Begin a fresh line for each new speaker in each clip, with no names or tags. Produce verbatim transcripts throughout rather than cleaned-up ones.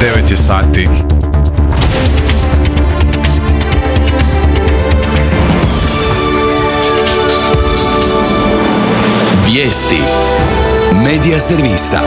devet je sati.
Vijesti Medija servisa.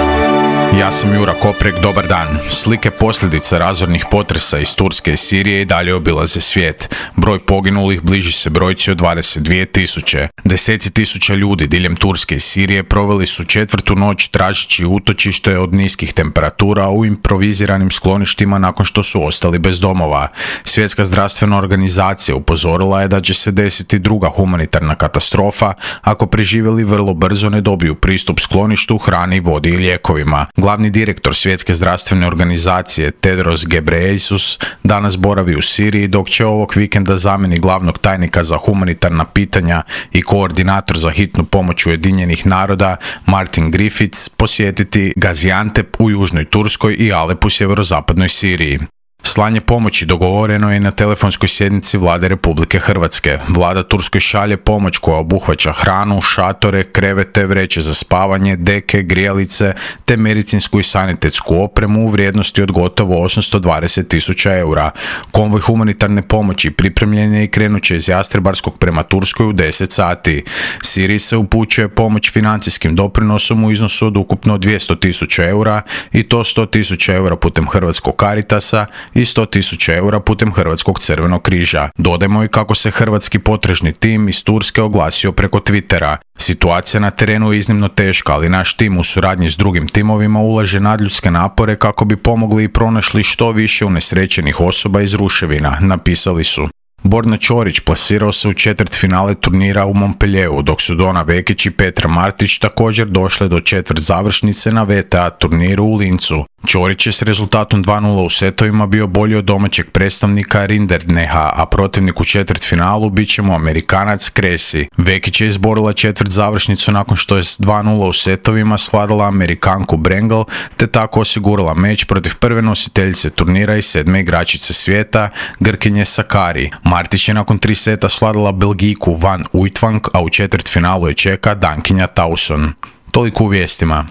Ja sam Jura Koprek, dobar dan. Slike posljedica razornih potresa iz Turske i Sirije i dalje obilaze svijet. Broj poginulih bliži se brojci od dvadeset dvije tisuće. Deseci tisuća ljudi diljem Turske i Sirije proveli su četvrtu noć tražeći utočište od niskih temperatura u improviziranim skloništima nakon što su ostali bez domova. Svjetska zdravstvena organizacija upozorila je da će se desiti druga humanitarna katastrofa ako preživjeli vrlo brzo ne dobiju pristup skloništu, hrani, vodi i lijekovima. Glavni direktor Svjetske zdravstvene organizacije Tedros Ghebreyesus danas boravi u Siriji, dok će ovog vikenda zamjeni glavnog tajnika za humanitarna pitanja i koordinator za hitnu pomoć Ujedinjenih naroda Martin Griffiths posjetiti Gaziantep u južnoj Turskoj i Alep u sjeverozapadnoj Siriji. Slanje pomoći dogovoreno je na telefonskoj sjednici Vlade Republike Hrvatske. Vlada Turskoj šalje pomoć koja obuhvaća hranu, šatore, krevete, vreće za spavanje, deke, grijalice te medicinsku i sanitetsku opremu u vrijednosti od gotovo osamsto dvadeset tisuća eura. Konvoj humanitarne pomoći pripremljen je i krenut će iz Jastrebarskog prema Turskoj u deset sati. Siriji se upućuje pomoć financijskim doprinosom u iznosu od ukupno dvjesto tisuća eura i to sto tisuća eura putem Hrvatskog Caritasa i sto tisuća eura putem Hrvatskog crvenog križa. Dodajmo i kako se hrvatski potrežni tim iz Turske oglasio preko Twittera. Situacija na terenu je iznimno teška, ali naš tim u suradnji s drugim timovima ulaže nadljudske napore kako bi pomogli i pronašli što više unesrećenih osoba iz ruševina, napisali su. Borna Ćorić plasirao se u četvrtfinale turnira u Montpellieru, dok su Dona Vekić i Petra Martić također došle do četvrt završnice na V T A turniru u Lincu. Ćorić je s rezultatom dva nula u setovima bio bolji od domaćeg predstavnika Rinderkneha, a protivnik u četvrtfinalu bit će mu Amerikanac Cressy. Vekić je izborila četvrt završnicu nakon što je s dva nula u setovima sladala Amerikanku Brengel, te tako osigurala meč protiv prve nositeljice turnira i sedme igračice svijeta, Grkinje Sakari. Martić je nakon tri seta sladala Belgijku Van Uytvanck, a u četvrtfinalu je čeka Dankinja Tauson. Toliko u vijestima.